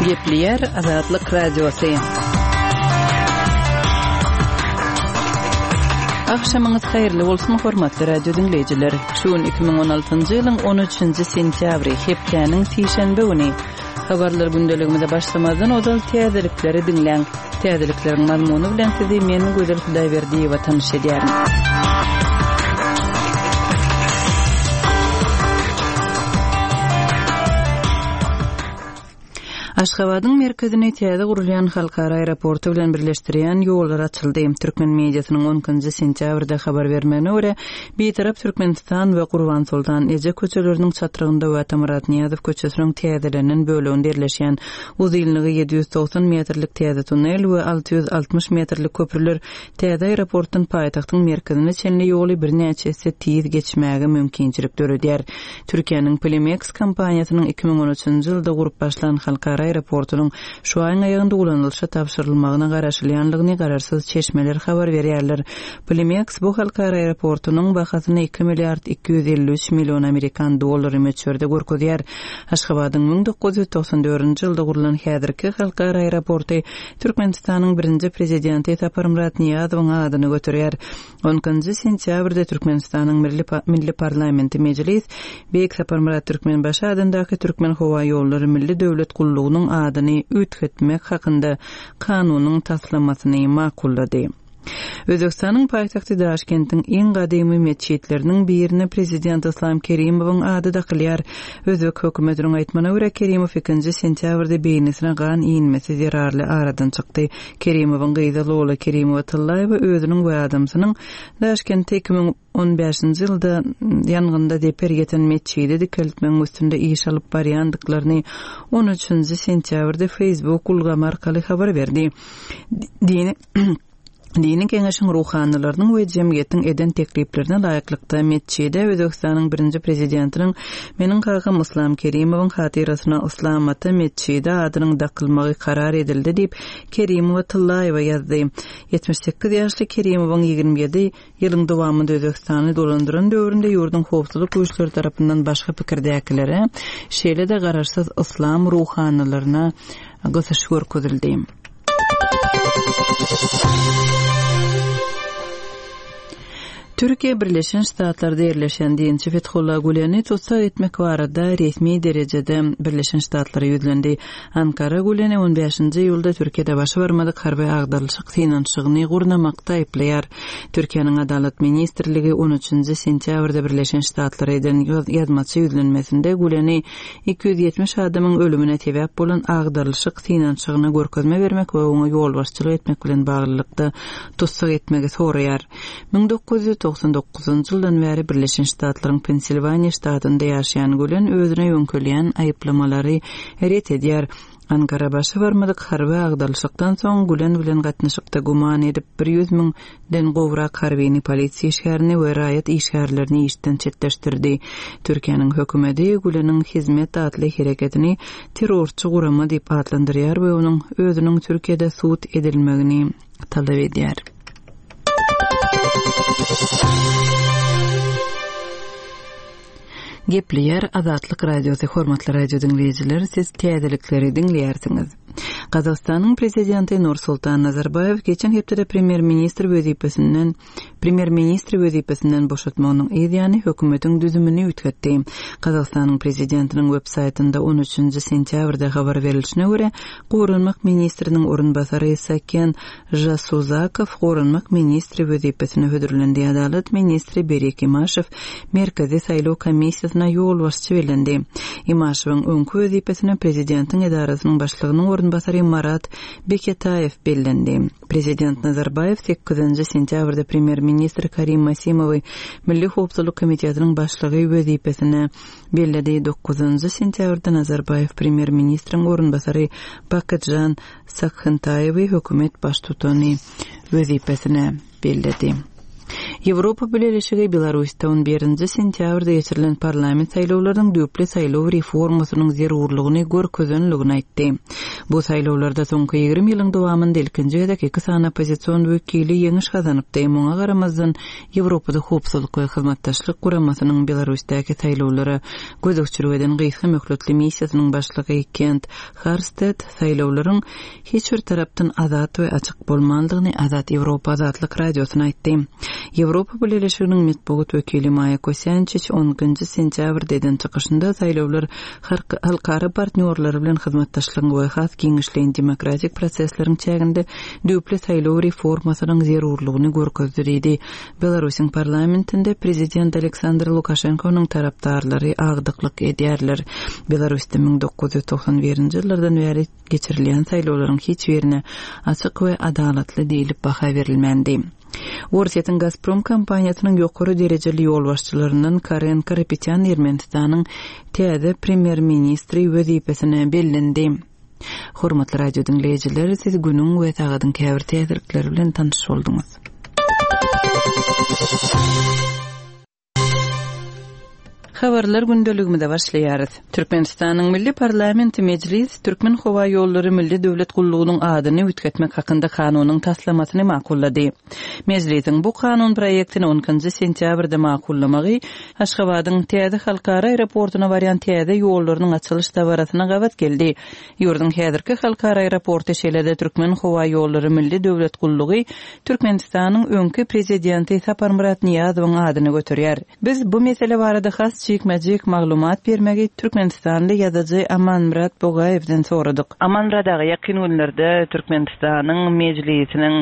Gepleýär Azatlyk Radiosy. Agşamyňyz haýyrly bolsun, hormatly radio diňleýjiler. Şu gün 2016-njy ýylyň 13-nji sentýabry, hepdäniň sişenbe güni. Habarlar gündeligimize başlamazdan ozal täzelikleri diňläň. Täzelikleriň mazmuny bilen sizi men Gözel Hudaýberdiýewa tanyş edýärin. Aşgabadyň merkezini täze gurulýan halkara aeroporty bilen birleşdirýän ýollar açyldy. Türkmen mediasynyň on ikinji sentýabrda habar bermegine görä, Bitarap Türkmenistan we Gurbansoltan eje köçeleriniň çatrygynda we Atamyrat Nyýazow köçesiniň täzelenen böleginde ýerleşýän uzynlygy 790 metrlik täze tunnel we 660 metrlik köprüler täze aeroportdan paýtagtyň merkezine çenli ýoly birnäçe esse tiz geçmäge mümkinçilik döredýär. Türkiýäniň Polimeks kompaniýasynyň 2013-nji ýylda gurup başlan halkara aeroportunyň şu aýyň aýagynda ulanylyşa tabşyrylmagyna garaşylýandygyny garaşsyz çeşmeler habar berýärler. Polimeks bu halkara aeroportunyň bahasyny iki milliard 253 million amerikan dollary möçberde görkezýär. Aşgabadyň 1994-nji ýylda gurlan häzirki halkara aeroporty Türkmenistanyň birinji Prezidenti Saparmyrat Nyýazowyň adyny göterýär. On ikinji sentýabrda Türkmenistanyň Milli Milli Parlamenti Mejlis Beýik Saparmyrat Türkmenbaşy adyndaky Türkmenhowaýollary Milli döwlet gullugynyň adyny üýtgetmek hakynda Kanunyň taslamasyny makullady. Özbegistanyň paýtagty Daşkentiň iň gadymy metjitleriniň birine prezident Yslam Kerimowyň ady dakylýar. Özbek hökümetiniň aýtmagyna görä, Kerimow ikinji sentýabrda beýnisine gan inmesi zerarly aradan çykdy. Kerimowyň gyzy Lola Kerimowa-Tyllaýewa özüniň we adamsynyň Daşkentde 2015-nji ýylda ýangynda zeper ýeten metjidi dikeltmegiň üstünde iş alyp barýandyklaryny on üçünji sentýabrda Facebook ulgamy arkaly habar berdi. Dini Dini geňeşiň ruhanylarynyň we jemgyýetiň eden tekliplerine laýyklykda metjide Özbegistanyň birinji prezidentiniň meniň kakam Yslam Kerimowyň hatyrasyna Yslam ata metjidi adynyň dakylmagy karar edildi diýip, Kerimowa Tyllaýewa ýazdy. 78 ýaşly Kerimowyň 27 ýylyň dowamynda Özbegistany dolandyran döwründe ýurduň howpsuzlyk güýçleri tarapyndan başga pikirdäkilere, şeýle-de garaşsyz yslam ruhanylaryna gysyş görkezildi. Türkiýe Birleşen Ştatlarda ýerleşen dinçi Fethullah Güleni tussag etmek barada resmi derejede Birleşen Ştatlara ýüzlendi. Ankara Güleni on bäşinji iýulda Türkiýede başa barmadyk harby agdarylyşyk synanyşygyny gurnamakda aýyplaýar. Türkiýäniň Adalat ministrligi on üçünji sentýabrda Birleşen Ştatlara eden ýazmaça ýüzlenmesinde Güleni 270 adamyň ölümine sebäp bolan agdarylyşyk synanyşygyna görkezme bermek we oňa ýolbaşçylyk etmek bilen baglylykda tussag etmegi soraýar. 1999-njy ýyldan bäri Birleşen Ştatlaryň Pensilwaniýa ştatynda ýaşaýan Gülen özüne ýöňkelýän aýyplamalary ret edýär. Ankara başa barmadyk harby agdarylyşykdan soň Gülen bilen gatnaşykda güman edip, 100 müň den gowrak harbyny, polisiýa işgärini we raýat işgärlerini işden çetleşdirdi. Türkiýäniň hökümeti Güleniň Hizmet atly hereketini terrorçy gurama diýip atlandyrýar we onuň özüniň Türkiýede sud edilmegini talap edýär. Gepleýär Azatlyk Radiosy Hormatly radio diňleýjiler, siz täzelikleri diňleýärsiňiz. Gazagystanyň prezidenti Nursultan Nazarbaýew geçen hepdede premýer-ministr wezipesinden premýer-ministri wezipesinden boşatmagynyň yz ýany hökümetiň düzümini üýtgetdi. Gazagystanyň prezidentiniň web saýtynda on üçünji sentýabrda habar berilişine görä, goranmak ministriniň orunbasary Saken Žasuzakow goranmak ministri wezipesine hödürlendi, adalat ministri Berik Imaşew Merkezi saýlaw komissiýasyna ýolbaşçy bellendi. Imaşewiň öňki wezipesine prezidentiň edarasynyň başlygynyň orunbasary Marat Beketaýew bellendi. Prezident Nazarbaýew sekizinji sentýabrda premýer-ministr Karim Masimowy Milli howpsuzlyk komitetiniň başlygy wezipesine belledi. Dokuzynjy sentýabrda Nazarbaýew premýer-ministriň orunbasary Bakytžan Sakhyntaýewi hökümet baştutany wezipesine belledi. Ýewropa Bileleşigi Belarusda on birinji sentýabrda geçirilen parlament saýlawlarynyň düýpli saýlaw reformasynyň zerurlygyny görkezenligini aýtdy. Bu saýlawlarda soňky 20 ýylyň dowamynda ilkinji gezek iki sany oppozision wekili ýeňiş gazanypdy. Muňa garamazdan, Ýewropada Howpsuzlyk we Hyzmatdaşlyk Guramasynyň Belarusdaky saýlawlara gözegçilik eden gysga möhletli missiýasynyň başlygy Kent Harsted saýlawlaryň hiç bir tarapdan azat we açyk bolmandygyny Azat Ýewropa Azatlyk Radiosyna aýtdy. Ýewropa Bileleşiginiň metbugat wekili Maýa Kosýançiç on ikinji sentýabrda eden çykyşynda saýlawlar halkara partnýorlary bilen hyzmatdaşlygyň we has giňişleýin demokratik prosesleriň çäginde düýpli saýlaw reformasynyň zerurlygyny görkezdi diýdi. Belarusyň parlamentinde prezident Aleksandr Lukaşenkonyň tarapdarlary agdyklyk edýärler. Belarusda 1991-nji ýyllardan bäri geçirilýän saýlawlaryň hiç birine açyk we adalatly diýlip baha berilmändi. Orsýetiň Gazprom kompaniýasynyň ýokary derejeli ýolbaşçylaryndan Karen Karapetýan Ermenistanyň täze premýer-ministri wezipesine bellendi. Hormatly radio diňleýjiler, siz günüň we sagadyň käbir täzelikleri bilen tanyş bolduňyz. Habarlar gündeligimize başlaýarys. Türkmenistanyň Milli parlamenti Mejlis Türkmenhowaýollary Milli döwlet gullugynyň adyny üýtgetmek hakynda kanunyň taslamasyny makullady. Mejlisiň bu kanun proýektini on ikinji sentýabrda makullamagy Aşgabadyň täze halkara aeroportuna barýan täze ýollarynyň açylyş dabarasyna gabat geldi. Ýurduň häzirki halkara aeroporty, şeýle-de Türkmenhowaýollary Milli döwlet gullugy Türkmenistanyň öňki Prezidenti Saparmyrat Nyýazowyň adyny göterýär. Biz bu mesele barada has jikme-jik maglumat bermegi türkmenistanly ýazyjy Amanmyrat Bogaýewden soradyk. Amanmyrat aga, ýakyn günlerde Türkmenistanyň Mejlisiniň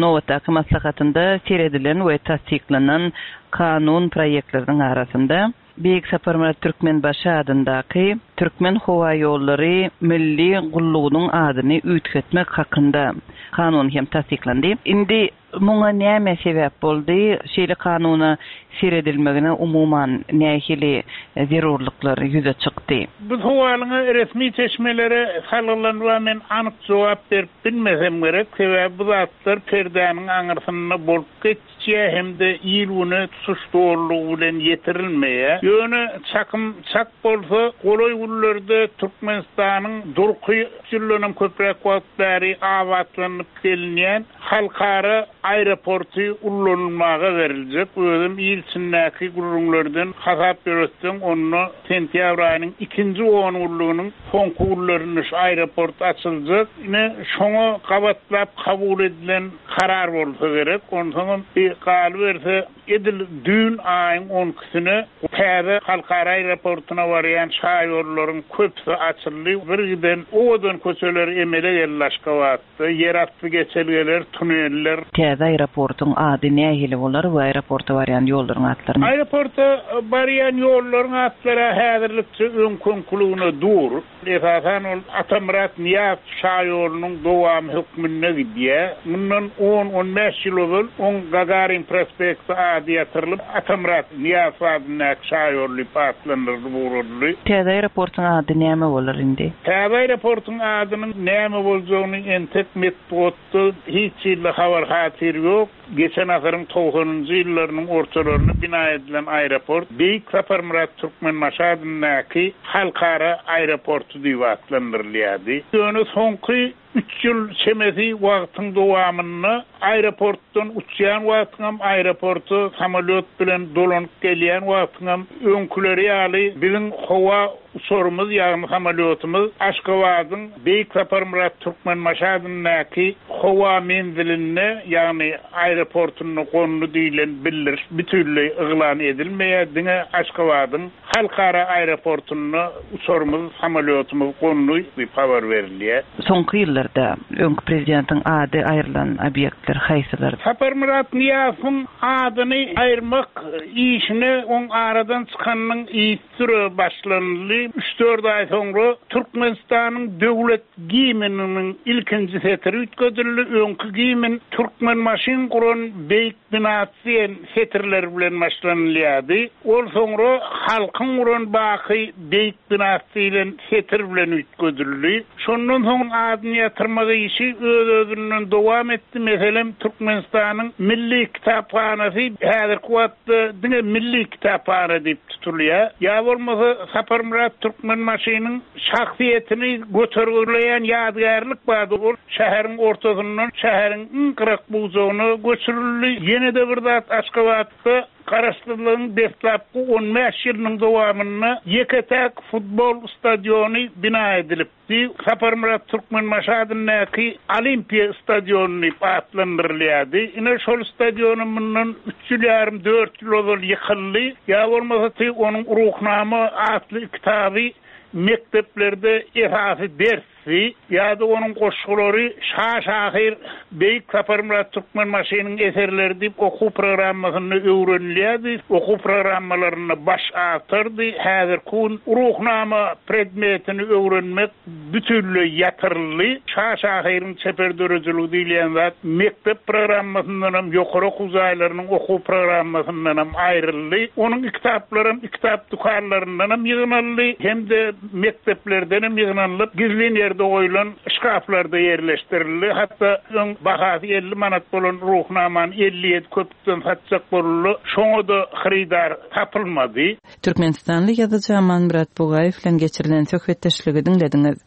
Nobatdaky maslahatynda seredilen we tassyklanan kanun proýektleriniň arasynda Beýik Saparmyrat Türkmenbaşy adyndaky Türkmenhowaýollary milli gullugynyň adyny üýtgetmek hakynda kanun hem tassyklandy. Indi muňa näme sebäp boldy? Şeýle kanuna seredilmegine umuman nähili zerurlyklar ýüze çykdy? Bu sowalyňa resmi çeşmelere salgylanybam men anyk jogap berip Bilmesem gerek, sebäbi bu zatlar perdäniň aňyrsynda bolup geçýär hem-de il-güne tutuş dolulygy bilen ýetirilmeýär. Ýöne çakym çak bolsa, golaý günlerde Türkmenistanyň durky üç ýyldanam köpräk wagt bäri abatlanyp gelinýän halkara aeroporty ullanylmaga beriljek. Özem il içindäki gürrüňlerden hasap ýöretseň, onda sentýabr aýynyň ikinji ongünlüginiň Soňky günlerinde şu aeroport açyljak. Ine, şoňa gabatlap kabul edilen karar bolsa gerek. Onsoňam bir galyberse, edil düýn aýyň on ikisine täze halkara aeroportuna barýan şaýollaryň köpüsi açyldy. Birgiden owadan köçeler emele geldi Aşgabatda. Ýerasty geçelgeler, tuneller. Täze aeroportuň ady nähili bolar we aeroporta barýan ýollaryň atlary? Aeroporta barýan ýollaryň atlary häzirlikçe öňki-öňküligine dur. Esasan ol Atamyrat Nyýazow şaýolunyň dowamy hökmünde gidýär. Mundan on-on bäş ýyl ozal oň Gagarin prospekti ady ýatyrylyp, Atamyrat Nyýazow adyndaky şaýol diýip atlandyrylyp ugradyldy. Täze aeroportuň ady näme bolar indi? Täze aeroportuň adynyň näme boljagyny entek metbugatda hiç hili habar-hatyr ýok. Geçen asyryň togsanynjy ýyllarynyň ortalarynda bina edilen aeroport Beýik Saparmyrat Türkmenbaşy adyndaky halkara aeroporty diýip atlandyrylýardy. Ýöne soňky üç ýyl çemesi wagtyň dowamynda aeroportdan uçýan wagtyňam, aeroporta samolýot bilen dolanyp gelýän wagtyňam öňküleri ýaly biziň howa uçarymyz, ýagny samolýotymyz Aşgabadyň Beýik Saparmyrat Türkmenbaşy adyndaky howa menzilinde, ýagny aeroportunda gondy diýlen bildiriş bütinleý yglan edilmeýär, diňe Aşgabadyň Halkara aeroportunda uçarymyz, samolýotymyz gondy diýip habar berilýär. Soňky ýyllarda öňki prezidentiň ady aýrylan obýektler haýsylar? Saparmyrat Nyýazowyň adyny aýyrmak işine oň aradan çykanynyň yzysüre başlanyldy. Üç-dört aý soňra Türkmenistanyň döwlet gimniniň ilkinji setiri üýtgedildi. Öňki gimn Türkmenbaşyň guran beýik. binasy diýen setirler bilen başlanylýardy. Ol soňra Halkyň guran baky beýik binasy diýlen setir bilen üýtgedildi. Şondan soň adyny ýatyrmak işi öz-özünden dowam etdi. Meselem, Türkmenistanyň Milli kitaphanasy häzirki wagtda diňe Milli kitaphana diýip tutulýar. Ýa bolmasa Saparmyrat Türkmenbaşynyň şahsyýetini götergileýän ýadygärlik bardy. Ol şäheriň ortasyndan şäheriň iň gyrak-bujagyna göçürildi. Ýene-de bir zat, Aşgabatda Garaşsyzlygyň deslapky on bäş ýylynyň dowamynda ýeke-täk futbol stadiony bina edilipdi. Saparmyrat Türkmenbaşy adyndaky Olimpiýa stadiony diýip atlandyrylýardy. Ine, şol stadionam mundan üç ýyl ýarym, dört ýyl ozal ýykyldy. Ýa bolmasa, onuň Ruhnama atly kitaby mekdeplerde esasy ders Sy ýa-da onuň goşgulary şa şahyr Beýik Saparmyrat Türkmenbaşynyň eserleri diýip okuw programmasynda öwrenilýärdi, okuw programmalarynda baş awtordy. Häzirki gün Ruhnama predmetini öwrenmek bütinleý ýatyryldy. Şa şahyryň çeper döredijiligi diýilýän zat mekdep programmasyndanam, ýokary okuw jaýlarynyň okuw programmasyndanam aýryldy. Onuň kitaplaram kitap dükanlaryndanam ýygnaldy hem-de mekdeplerdenem ýygnanylyp, gizlin ýerde goýlan şkaflarda ýerleşdirildi. Hatda öň bahasy 50 manat bolan Ruhnamany 57 köpükden satjak bolundy, şoňa-da hyrydar tapylmady. Türkmenistanly ýazyjy Amanmyrat Bugaýew bilen geçirilen söhbetdeşligi diňlediňiz.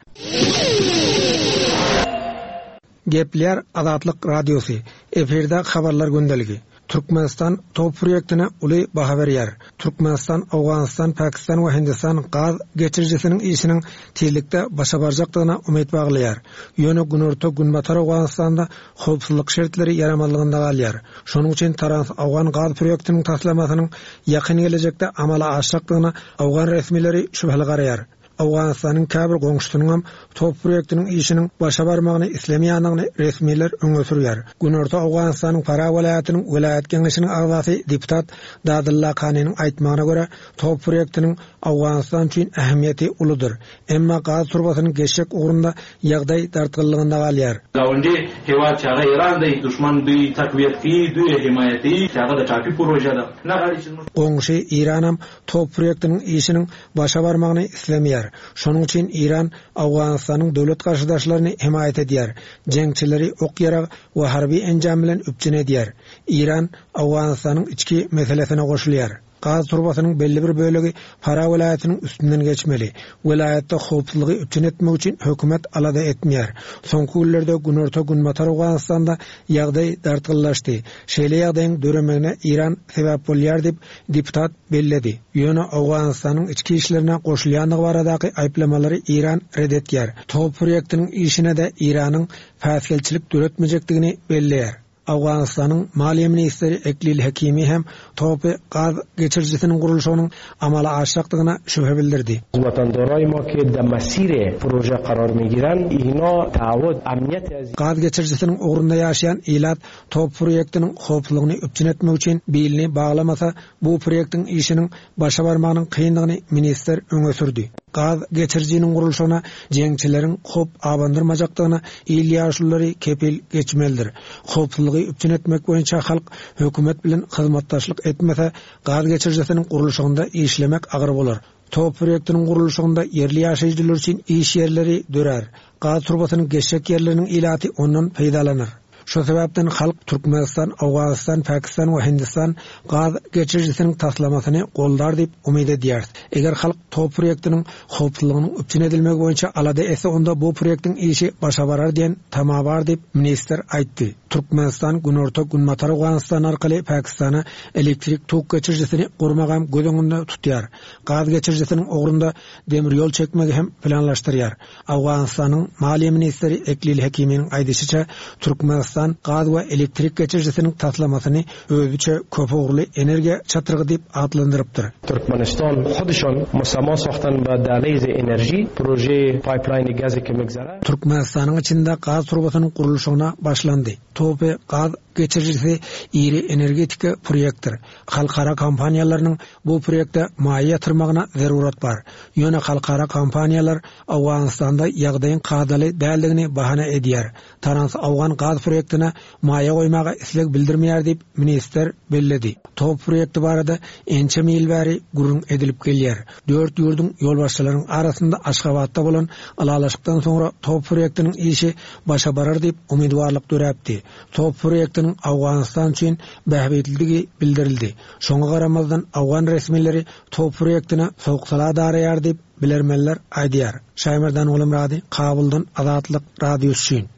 Gepleýär Azatlyk Radiosy, efirde Habarlar gündeligi. Türkmenistan TOPH proýektine uly baha berýär. Türkmenistan, Owganystan, Pakistan we Hindistan gaz geçirijisiniň işiniň tizlikde başa barjakdygyna umyt baglaýar. Ýöne günorta-günbatar Owganystanda howpsuzlyk şertleri ýaramazlygynda galýar. Şonuň üçin Trans-Owgan gaz proýektiniň taslamasynyň ýakyn gelejekde amala aşjakdygyna owgan resmileri şübheli garaýar. Owganystanyň käbir goňşusynyňam TOPH proýektiniň işiniň başa barmagyny islemeýändigini resmiler öňe sürýär. Günorta Owganystanyň Farah welaýatynyň welaýat geňeşiniň agzasy deputat Dadylla Kanynyň aýtmagyna görä, TOPH proýektiniň Owganystan üçin ähmiýeti uludyr. Emma gaz turbasynyň geçjek ugrunda ýagdaý dartgynlygynda galýar. Gawundy hewad çi haga Iran dey duşman duy takwiýet kiyi duy himayet kiyi çi haga da Çapi proje da na gari çi zmuz. Goňşy Iranam TOPH proýektiniň işiniň başa barmagyny islemeýär. Şonuň üçin Eýran Owganystanyň döwlet garşydaşlaryny hemaýat edýär, jeňçileri ok-ýarag we harby enjam bilen üpjün edýär. Eýran Owganystanyň içki meselesine goşulýar. Gaz turbasynyň belli bir bölegi Farah welaýatynyň üstünden geçmeli. Welaýatda howpsuzlygy üpjün etmek üçin hökümet alada etmeýär. Soňky günlerde günorta-günbatar Owganystanda ýagdaý dartgynlaşdy. Şeýle ýagdaýyň döremegine Eýran sebäp bolýar diýip, deputat belledi. Ýöne Owganystanyň içki işlerine goşulýandygy baradaky aýyplamalary Eýran ret etýär. TOPH proýektiniň işine-de Eýranyň päsgelçilik döretmejekdigini belleýär. Owganystanyň maliýe ministri Eklil Hekimi hem TOPH gaz geçirijisiniň gurluşygynyň amala aşjakdygyna şübhe bildirdi. Watandarای ما که در مسیر پروژه قرار میگیرند اینا تعهد امنیت از Gaz geçirijisiniň ugrunda ýaşaýan ilat TOPH proýektiniň howpsuzlygyny üpjün etmek üçin bilini baglamasa, bu proýektiň işiniň başa barmagynyň kyndygyny ministr öňe sürdi. Gaz geçirijiniň gurluşygyna jeňçileriň howp abandyrmajakdygyna il ýaşululary kepil geçmelidir. Howpsuzlygy üpjün etmek boýunça halk hökümet bilen hyzmatdaşlyk etmese, gaz geçirijisiniň gurluşygynda işlemek agyr bolar. TOPH proýektiniň gurluşygynda ýerli ýaşaýjylar üçin iş ýerleri dörär. Gaz turbasynyň geçjek ýerleriniň ilaty ondan peýdalanar. Şo sebäpden halk Türkmenistan, Owganystan, Pakistan we Hindistan gaz geçirijisiniň taslamasyny goldar diýip umyt edýäris. Eger halk TOPH proýektiniň howpsuzlygynyň üpjün edilmegi boýunça alada etse onda bu proýektiň işi başa barar diýen tama bar diýip, ministr aýtdy. Türkmenistan Günorta, Günbatar Owganystan arkaly Pakistana elektrik tok geçirijisini gurmagam göz öňünde tutýar. Gaz geçirijisiniň ugrunda demir ýol çekmegi hem planlaşdyrýar. Owganystanyň maliýe ministri Eklil Hekiminiň aýdyşyça, Türkmenistan gaz we elektrik geçirijisiniň taslamasyny özüçe köpugurly energiýa çatrygy diýip atlandyrypdyr. Türkmenistan huduşan musama sahtan be dahliz enerji proje pipeline gazi ke migzara. Türkmenistanyň içinde gaz turbasynyň gurluşygyna başlandy. TOPH gaz geçirijisi iri energetika proýektdir. Halkara kompaniýalarynyň bu proýekte maýa ýatyrmagyna zerurat bar. Ýöne halkara kompaniýalar Owganystanda ýagdaýyň kadaly däldigini bahana edýär. Trans-Owgan gaz proýekti. proýektine maýa goýmaga isleg bildirmeýär diýip, ministr belledi. TOPH proýekti barada ençeme ýyl bäri gürrüň edilip gelýär. Dört ýurduň ýolbaşçylarynyň arasynda Aşgabatda bolan ylalaşykdan soňra TOPH proýektiniň işi başa barar diýip umydybarlyk döräpdi. TOPH proýektiniň Owganystan üçin bähbitlidigi bildirildi. Şoňa garamazdan owgan resmileri TOPH proýektine sowuk-sala daraýar diýip, bilermenler aýdýar. Şaýmerdan Gulamyrady, Kabuldan Azatlyk Radiosy üçin.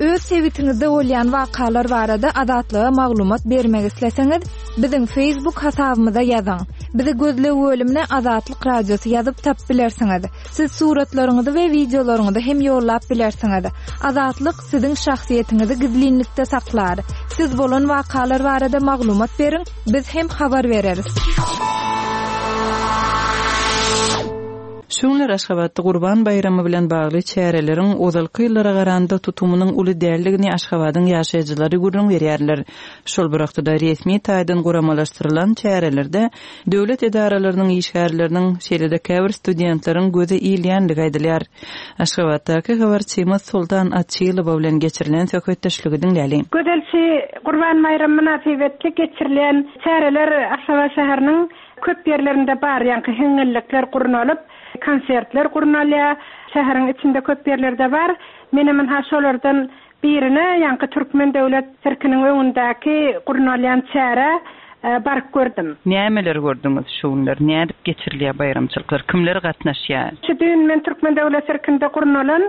Öz sebitiňizde bolýan wakalar barada Azatlyga maglumat bermek isleseňiz, biziň Facebook hasabymyza ýazyň. Bizi gözleg bölümine Azatlyk Radiosy ýazyp tapyp bilersiňiz. Siz suratlaryňyzy we wideolaryňyzy hem ýollap bilersiňiz. Azatlyk siziň şahsyýetiňizi gizlinlikde saklar. Siz bolan wakalar barada maglumat beriň, biz hem habar bereris. Şu günler Aşgabatda Gurban baýramy bilen bagly çäreleriň ozalky ýyllara garanda tutumynyň uly däldigini Aşgabadyň ýaşaýjylary gürrüň berýärler. Şol bir wagtda-da resmi taýdan guramalaşdyrylan çärelerde döwlet edaralarynyň işgärleriniň, şeýle-de käbir studentleriň göze ilýändigi aýdylýar. Aşgabatdaky habarçymyz Soltan Açylowa bilen geçirilen söhbetdeşligi diňläliň. Gözelçi Gurban baýramy mynasybetli geçirilýän çäreler Aşgabat şäheriniň köp ýerlerinde bar. Ýaňky hiňňillikler gurnalyp, konsertler gurnalýar. Şäheriň içinde köp ýerlerde bar. Menem ynha şolardan Birine, ýaňky Türkmen döwlet sirkiniň öňündäki gurnalýan çärä baryp gördüm. Nämeler gördüňiz şu günler? Nädip geçirilýär baýramçylyklar? Kimler gatnaşýar? Şu düýn men Türkmen döwlet sirkinde gurnalan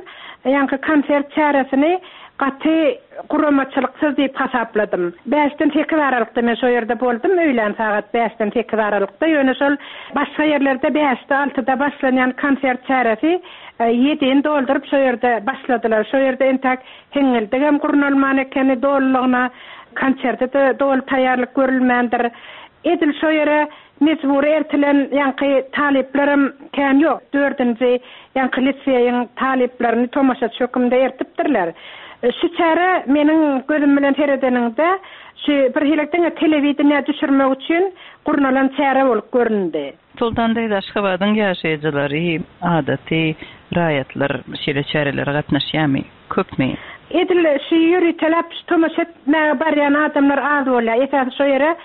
ýaňky konsert çäresini gaty guramaçylyksyz diýip hasapladym. Bäşden sekiz aralykda men şo ýerde boldum, öýlän sagat bäşden sekiz aralykda. Ýöne şol başga ýerlerde bäşde, altyda başlanýan konsert çäresi Ýedini dolduryp şo ýerde başladylar. Şo ýerde entäk hiňňildigem gurnalman ekeni dolulygyna, konserte-de doly taýýarlyk görülmändir. Edil şo ýere mejbury ertilen ýaňky talyplaram kän ýok. Dördünji ýaňky liseýiň talyplaryny tomaşaçy höküminde ertipdirler. Şu çäre meniň gözüm bilen seredeniňde şu birhili diňe telewideniýä düşürmek üçin gurnalan çäre bolup göründi. Soltan daýza Aşgabadyň ýaşaýjylary, adaty raýatlar şeýle çärelere gatnaşýarmy? Köpmi? Edil şu ýöriteläp şu tomaşa etmäge barýan adamlar az bolýar. Esasy şo ýere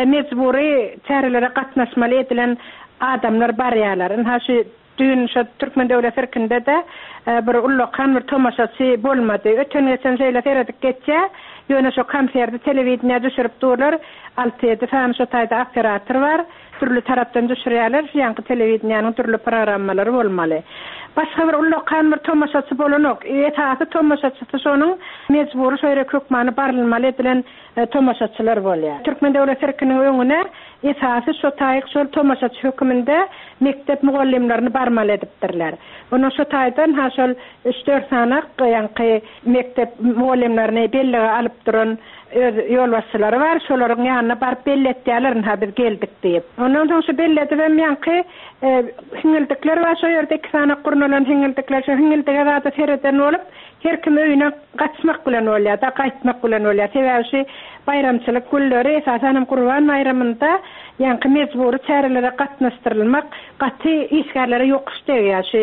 mejbury çärelere gatnaşmaly edilen adamlar barýarlar. Ynha şu düýn şo Türkmen döwlet sirkinde-de bir ullakan bir tomaşaçy bolmady. Öten-geçen şeýle seredip geçýär. Ýöne şo konserdi telewideniýä düşürip durlar. Alty-ýedi sany şo taýda operator bar. Dürli tarapdan düşürýärler, şu ýaňky telewideniýäniň dürli programmalary bolmaly. Başga bir ullakan bir tomaşaçy bolanok. Esasy tomaşaçysy şonuň mejbury şo ýere hökmany barylmaly edilen tomaşaçylar bolýar. Türkmen döwlet sirkiniň öňüne esasy şo taýyk şol tomaşaçy höküminde mekdep mugallymlaryny barmaly edipdirler. Ondan şo taýdan ha şol üç-dört sanak ýaňky mekdep mugallymlaryny bellige alyp duran Öz ýolbaşçylary bar, şolaryň ýanyna baryp belli etýärler, ynha biz geldik diýip. Ondan soň şu belli edibem ýaňky hiňňildikler bar şo ýerde, iki sany gurnalan hiňňildikler, şo hiňňildige zada sereden bolup, her kim öýüne gaçmak bilen bolýar-da, gaýtmak bilen bolýar. Sebäbi şu baýramçylyk günleri, esasan hem Gurban baýramynda ýaňky mejbury çärelere gatnaşdyrylmak gaty işgärlere ýokuş degýär. Şu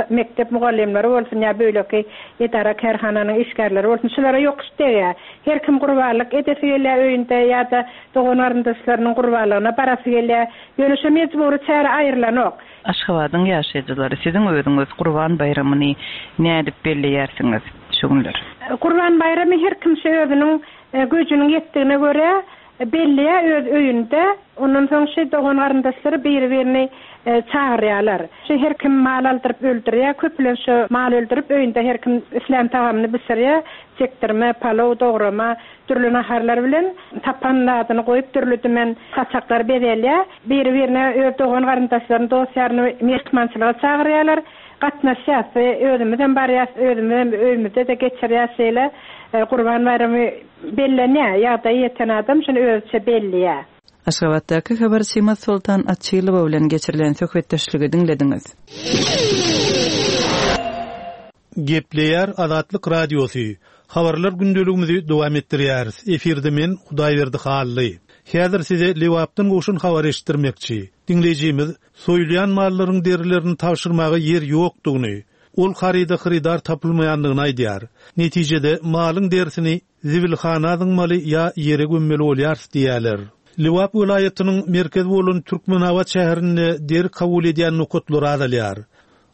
mekdep mugallymlary bolsun ýa beýleki edara-kärhananyň işgärleri bolsun, şulara ýokuş degýär. Her kim gurbanlyk edesi gelýär öýünde ýa-da dogan-garyndaşlarynyň gurbanlygyna barasy gelýär. Ýöne şo mejbury çäre aýrylanok. Aşgabadyň ýaşaýjylary, siziň özüňiz Gurban baýramyny nädip belleýärsiňiz şu günler? Gurban baýramy her kim şu özüniň güýjüniň ýetdigine görä Belleýär öz öýünde. Ondan soň şi dogan-garyndaşlary biri-birini çagyrýarlar. Şi her kim mal aldyryp öldürýär. Köplenç şo mal öldürip öýünde her kim islän tagamyny bişirýär. Çekdirme, palow, dograma, dürli naharlar bilen tapan zadyny goýup dürli-dümen saçaklar bezelýär. Biri-birine öz dogan-garyndaşlaryny, dost-ýaryny myhmançylyga çagyrýarlar. Gatnaşýas we özümizem barýas, özümizem öýümizde-de geçirýäs şeýle Gurban baýramy. Bellenýär, ýagdaýy ýeten adam şuny özüçe belleýär. Aşgabatdaky habarçymyz Soltan Açylowa bilen geçirilen söhbetdeşligi diňlediňiz. Gepleýär Azatlyk Radiosy. Habarlar gündeligimizi dowam etdirýäris. Efirde men, Hudaýberdi Hally. Häzir size Lebapdan gowşan habary eşitdirmekçi. Diňleýjimiz soýulýan mallaryň derilerini tabşyrmaga ýer ýokdugyny, ol haryda hyrydar tapylmaýandygyny aýdýar. Netijede, malyň derisini zibilhana zyňmaly ýa ýere gömmeli bolýarys diýýärler. Lebap welaýatynyň merkezi bolan Türkmenabat şäherinde deri kabul edýän nokatlar azalýar.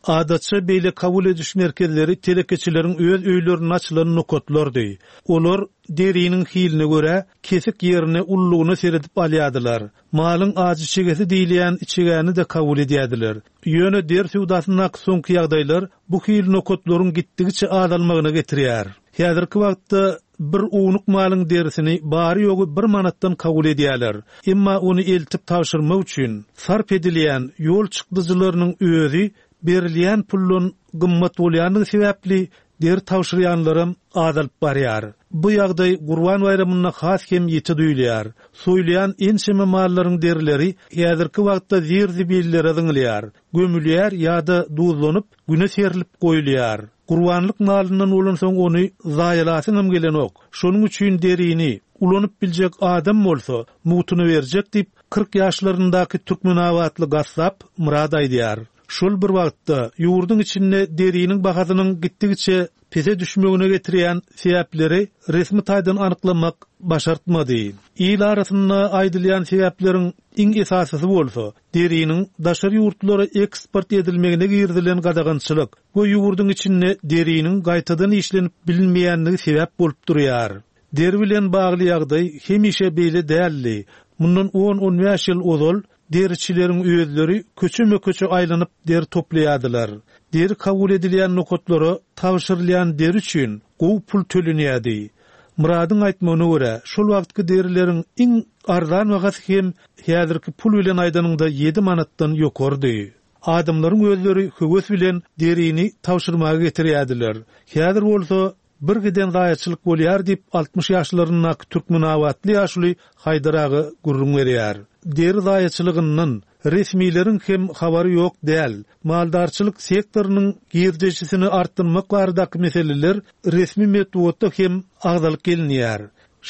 Adatça beýle kabul ediş merkezleri telekeçileriň öz öýlerinde açylan nokatlardy. Olar deriniň hiline görä, kesik ýerine, ululygyna seredip alýardylar. Malyň ajy içegesi diýilýän içegäni-de kabul edýärdiler. Ýöne deri söwdasyndaky soňky ýagdaýlar bu hili nokatlaryň gitdigiçe azalmagyna getirýär. Häzirki wagtda bir ownuk malyň derisini bary-ýogy bir manatdan kabul edýärler. Emma ony eltip tabşyrmak üçin sarp edilýän ýol çykdajylarynyň özi berilýän puldan gymmat bolýandygy sebäpli deri tabşyrýanlaram azalyp barýar. Bu ýagdaý Gurban baýramynda has hem ýiti duýulýar. Soýulýan ençeme mallaryň derileri häzirki wagtda zir-zibillere zyňylýar, gömülýär ýa-da duzlanyp, güne serlip goýulýar. Gurbanlyk malyndan bolansoň ony zaýalasyňam gelenok. Şonuň üçin derini ulanyp biljek adam bolsa, mugtuna berjek diýip, 40 ýaşlaryndaky türkmenabatly gassap Myrat aýdýar. Şol bir wagtda, ýurduň içinde deriniň bahasynyň gitdigiçe pese düşmegine getirýän sebäpleri resmi taýdan anyklamak başartmady. Il arasynda aýdylýan sebäpleriň iň esasysy bolsa, deriniň daşary ýurtlara eksport edilmegine girizilen gadagançylyk we ýurduň içinde deriniň gaýtadan işlenip bilinmeýänligi sebäp bolup durýar. Deri bilen bagly ýagdaý hemişe beýle däldi. Mundan on-on bäş ýyl ozal Deriçileriň özleri köçeme-köçe aýlanyp deri toplaýardylar. Deri kabul edilýän nokatlara tabşyrylýan deri üçin gowy pul tölenýärdi. Myradyň aýtmagyna görä, şol wagtky derileriň iň arzan bahasy hem häzirki pul bilen aýdanyňda ýedi manatdan ýokarydy. Adamlaryň özleri höwes bilen derini tabşyrmaga getirýärdiler. Häzir bolsa Bir giden zaýaçylyk bolýar diýip, 60 ýaşlaryndaky türkmenabatly ýaşuly Haýdar aga gürrüň berýär. Deri zaýaçylygyndan resmileriň hem habary ýok däl. Maldarçylyk sektorynyň girdejisini artdyrmak baradaky meseleler resmi metbugatda hem agzalyp gelinýär.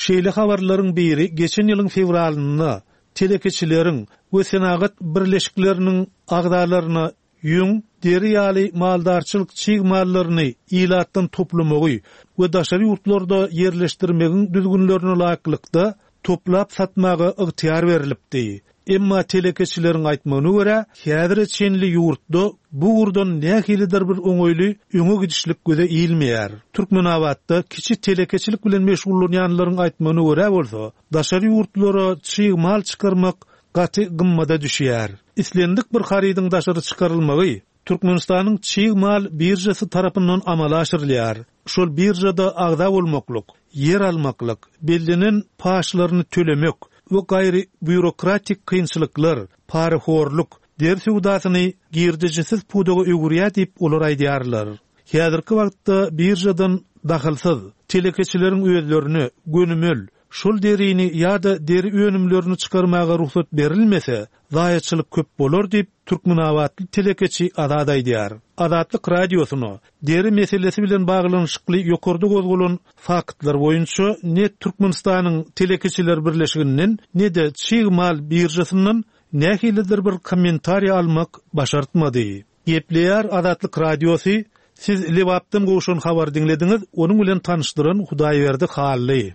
Şeýle habarlaryň biri geçen ýylyň fewralynda telekeçileriň we senagat birleşikleriniň agzalaryna ýüň, deri ýaly maldarçylyk çig mallaryny ilatdan toplamagy we daşary ýurtlarda ýerleşdirmegiň düzgünlerine laýyklykda toplap satmaga ygtyýar berlipdi. Emma telekeçileriň aýtmagyna görä, häzire çenli ýurtda bu ugurdan nähilidir bir oňaýly öňe gidişlik göze ilmeýär. Türkmenabatda kiçi telekeçilik bilen meşgullanýanlaryň aýtmagyna görä bolsa, daşary ýurtlara çig mal çykarmak gaty gymmada düşýär. Islendik bir harydyň daşary çykarylmagy Türkmenistanyň çig mal biržasy tarapyndan amala aşyrylýar. Şol biržada agza bolmaklyk, ýer almaklyk, bellenen paçlaryny tölemek we gaýry býurokratik kynçylyklar, parahorluk, deri söwdasyny girdejisiz pudaga öwürýär diýip olar aýdýarlar. Häzirki wagtda biržadan dahylsyz, telekeçileriň özlerine gönümel Şol derini ýa-da deri önümlerini çykarmaga rugsat berilmese, zaýaçylyk köp bolar diýip, türkmenabatly telekeçi Azat aýdýar. Azatlyk Radiosyna deri meselesi bilen baglanyşykly ýokarda gozgalan faktlar boýunça ne Türkmenistanyň Telekeçiler birleşiginden, ne-de çig mal biržasyndan nähilidir bir kommentariý almak başartmady. Gepleýär Azatlyk Radiosy, Siz Lebapdan gowşan habary diňlediňiz, onuň bilen tanyşdyran Hudaýberdi Hally.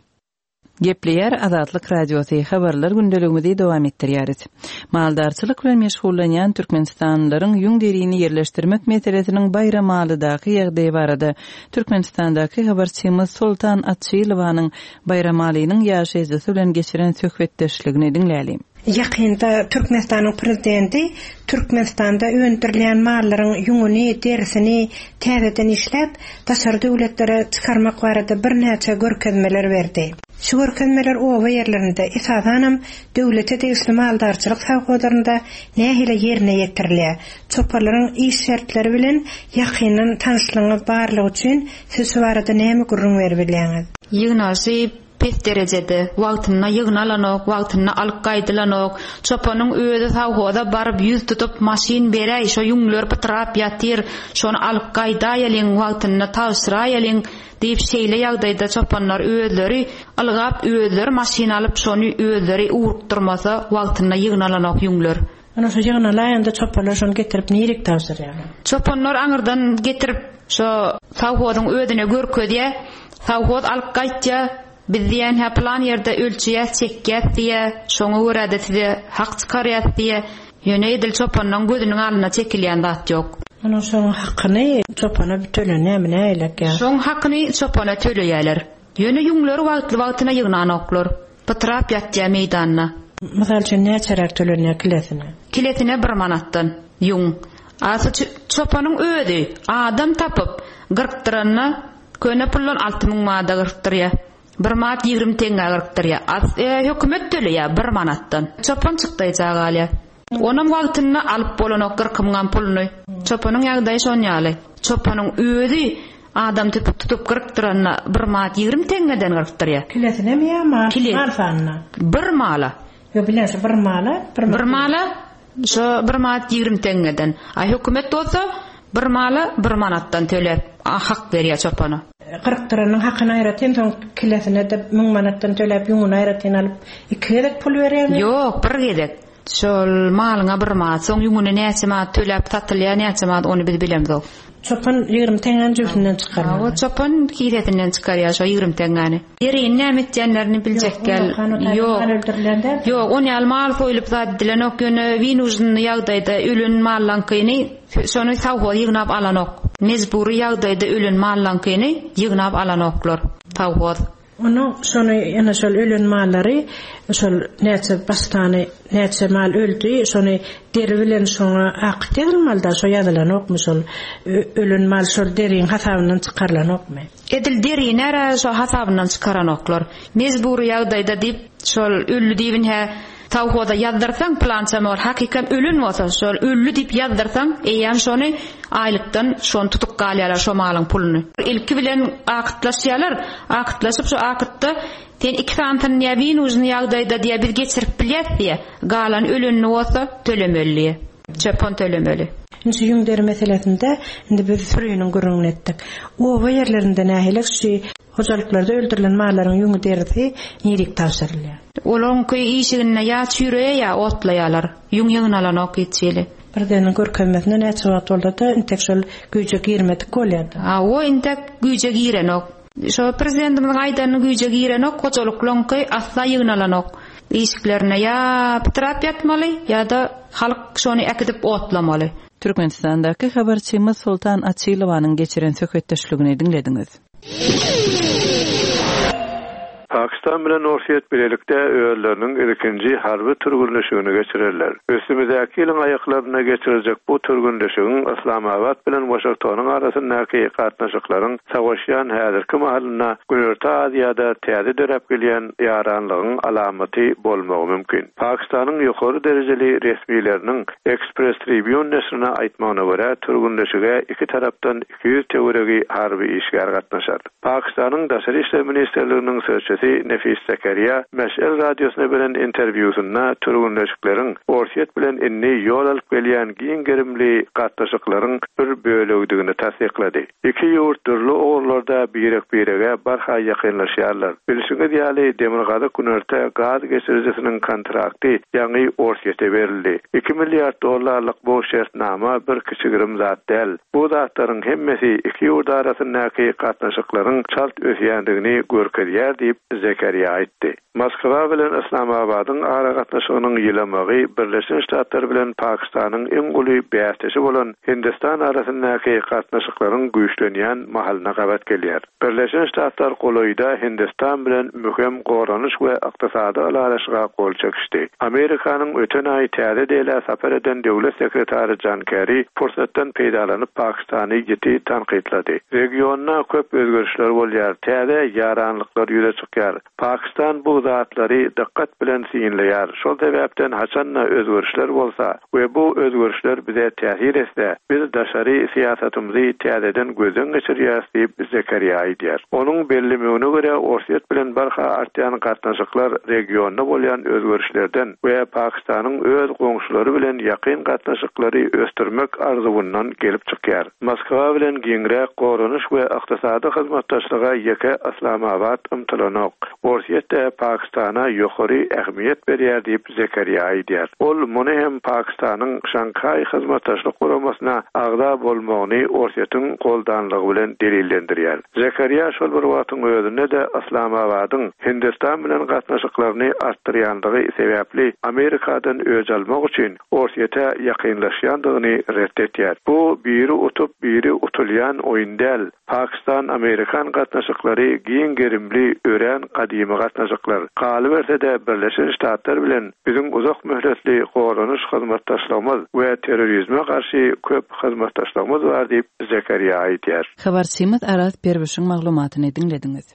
Gepleýär Azatlyk Radiosy, Habarlar gündeligimizi dowam etdirýäris. Maldarçylyk bilen meşgullanýan türkmenistanlylaryň ýüň-derini ýerleşdirmek meselesiniň Baýramalydaky ýagdaýy barada Türkmenistandaky habarçymyz Soltan Açylowanyň Baýramalynyň ýaşaýjysy bilen geçiren söhbetdeşligini diňläliň. Ýakynda Türkmenistanyň Prezidenti Türkmenistanda öndürilýän mallaryň ýüňüni, derisini täzeden işläp, daşary döwletlere çykarmak barada birnäçe görkezmeler berdi. Şu görkezmeler oba ýerlerinde, esasanam, döwlete degişli maldarçylyk sowhozlarynda nähili ýerine ýetirilýär? Çopanlaryň iş şertleri bilen ýakyndan tanyşlygyňyz barlygy üçin siz şu barada näme gürrüň beribilýäňiz? Ýygnaşyp. pes derejede. Wagtynda ýygnalanok, wagtynda alyp gaýdylanok. Çopanyň özi sowhoza baryp ýüz tutup maşyn beräý şo ýüňler pytrap ýatyr, şony alyp gaýdaýalyň, wagtynda tabşyraýalyň diýip şeýle ýagdaýda çopanlar özleri ylgap özleri maşyn alyp şony özleri ugrukdyrmasa wagtynda ýygnalanok ýüňler. Ana şo ýygnalaýanda çopanlar şony getirip nirik tabşyrýarlar? Çopanlar aňyrdan getirip şo sowhozyň özüne görkezýä, sowhoz alyp gaýtýa, biz diýýän hä pylan ýerde ölçeýäs çekýäs diýýä, şoňa görä-de size hak çykarýas diýýä. Ýöne edil çopanlaň gözüniň alnynda çekilýän zat ýok. Onuň şoň hakyny çopana tölenýärmi nähilek ýa? Şoň hakyny çopana töleýäler. Ýöne ýüňleri wagtly-wagtyna ýygnanoklar. Pytrap ýatýa meýdanda. Mysal üçin näçeräk tölenýär kilesine? Kilesine bir manatdan ýüň. A şu çopanyň özi adam tapyp gyrkdyranda köne puldan 6000 manada gyrkdyrýa. Bir manat 20 teňňä gyrkdyrýa. A hökümet töleýä bir manatdan. Çopan çykdaýja galýa. Onam wagtynda alyp bolanok gyrkymyňam puluny. Çopanyň ýagdaýy şon ýaly. Çopanyň özi adam tüpük tutup gyrkdyranda bir manat 20 teňňeden gyrkdyrýa. Kilesinemi ýa mal, mal sanyna? Bir mala. Ýok bilýän şo bir mala bir Bir mala şo bir manat 20 teňňeden. A hökümet bolsa bir mala bir manatdan töläp hak berýä çopana. Gyrkdyranyň hakyny aýratyn soň kilesine-de 1000 manatdan töläp ýüňüni aýratyn alyp iki gezek pul berýärmi? Ýok bir gezek. Şol malyňa bir manat, soň ýüňüne näçe manat töläp satylýar, näçe manat ony biz bilemzok. Çopan 20 teňňäni jübüsinden çykarmaly. Hawa, çopan kisesinden çykarýar şo 20 teňňäni. Derini näme etýänlerini biljek däl. Ýok. Ýok, on ýaly mal soýlup zat edilenok, ýöne winužnyý ýagdaýda ölen mallaňkyny şony sowhoz ýygnap alanok. Mejbury ýagdaýda ölen mallaňkyny ýygnap alanoklar sowhoz. Onuň şony ýene şol ölen mallary şol näçe baş sany näçe mal öldi şony deri bilen şoňa akyt ýazylmalyda şo ýazylanokmy şol ölen mal şol deriň hasabyndan çykarylanokmy. Edil derinä şo hasabyndan çykaranoklar. Mejbury ýagdaýda diýip şol öldi diýip hä sowhoza ýazdyrsaň pylança mal hakykam ölen bolsa şol öldi diýip ýazdyrsaň eýýäm şony aýlykdan şony tutup galýarlar şo malyň puluny. Ilki bilen akytlaşýarlar akytlaşyp şo akytda sen iki sanysyny diýýär winužny ýagdaýda diýýär biz geçirip bilýäs diýýär galan ölenini bolsa tölemeli diýýär çöpon tölemeli. Indi şu ýüň deri meselesinde indi biz süriniň gürrüňini etdik. Oba ýerlerinde nähili şu Hojalyklarda öldürilen mallaryň ýüňi derisi nirik tabşyrylýar? Olaryňky işiginde ýa çüýreýär ýa otlaýarlar. Ýüň ýygnalanok hiç hili. Prezidentiň görkezmesinde näçe wagt bolsa-da intek şol güýje girmedik bolýar-da. Hawa, intek güýje girenok. Şo prezidentimiziň aýdanyny güýje girenok, hojalyklaryňky asla ýygnalanok. Işiklerinde ýa pytrap ýatmaly, ýa-da halk şony äkidip otlamaly. Türkmenistandaky habarçymyz Soltan Açylowanyň geçiren söhbetdeşligini diňlediňiz. Pakistan bilen Orsýet bilelikde özleriniň ilkinji harby türgünleşigini geçirerler. Üstümizdäki ýylyň aýaklarynda geçiriljek bu türgünleşigiň Yslamabat bilen Waşingtonyň arasyndaky gatnaşyklaryň sowaşýan häzirki mahalynda Günorta Aziýada täze döräp gelýän ýaranlygyň alamaty bolmagy mümkin. Pakistanyň ýokary derejeli resmileriniň Express Tribune neşirine aýtmagyna görä, türgünleşige iki tarapdan 200 töweregi harby işgär gatnaşar. Pakistanyň Daşary işler ministrliginiň sözçüsi Nefis Zekeriýa Meş'el radiosyna beren interwýusynda türgünleşikleriň Orsýet bilen indi ýol alyp gelýän giň gerimli gatnaşyklaryň bir bölegidigini tassyklady. Iki ýurt dürli ugurlarda birek-birege barha ýakynlaşýarlar. Bilşiňiz ýaly, Demirgazyk-Günorta gaz geçirijisiniň kontrakty ýaňy Orsýete berildi. Iki milliard dollarlyk bu şertnama bir kiçi-girim zat däl. Bu zatlaryň hemmesi iki ýurt arasyndaky gatnaşyklaryň çalt ösýändigini görkezýär diýip, Zekeriýa aýtdy. Moskwa bilen Yslamabadyň aragatnaşygynyň ýylamagy Birleşen Ştatlar bilen Pakistanyň iň uly bäsdeşi bolan Hindistan arasyndaky gatnaşyklaryň güýçlenýän mahalyna gabat gelýär. Birleşen Ştatlar golaýda Hindistan bilen möhüm goranyş we ykdysady ylalaşyga gol çekişdi. Amerikanyň öten aý Täze Delä sapar eden döwlet sekretary Jan Kerri pursatdan peýdalanyp Pakistany ýiti tankytlady. Regionda köp özgerişler bolýar, täze ýaranlyklar ýüze çykýar. çykýar. Pakistan bu zatlary dykgat bilen synlaýar, şol sebäpden haçan-da özgerişler bolsa we bu özgerişler bize täsir etse, biz daşary syýasatymyzy täzeden gözden geçirýäris diýip, Zekeriýa aýdýar. Onuň bellemegine görä, Orsýet bilen barha artýan gatnaşyklar regionda bolýan özgerişlerden we Pakistanyň öz goňşulary bilen ýakyn gatnaşyklary ösdürmek arzuwyndan gelip çykýar. Moskwa bilen giňräk goranyş we ykdysady hyzmatdaşlyga ýeke Yslamabat ymtylanok. Orsýet-de Pakistana ýokary ähmiýet berýär diýip, Zekeriýa aýdýar. Ol muny hem Pakistanyň Şanghaý Hyzmatdaşlyk Guramasyna agza bolmagyny Orsýetiň goldanlygy bilen delillendirýär. Zekeriýa şol bir wagtyň özünde-de Yslamabadyň Hindistan bilen gatnaşyklaryny artdyrýandygy sebäpli Amerikadan öç almak üçin Orsýete ýakynlaşýandygyny ret etýär. Bu biri utup, biri utulýan oýun däl. Pakistan-amerikan gatnaşyklary giň gerimli, örän gadymy gatnaşyklar. Galyberse-de, Birleşen Ştatlar bilen biziň uzak möhletli goranyş hyzmatdaşlygymyz we terrorizme garşy köp hyzmatdaşlygymyz bar diýip, Zekeriýa aýdýar. Habarçymyz Araz Perwişiň maglumatyny diňlediňiz.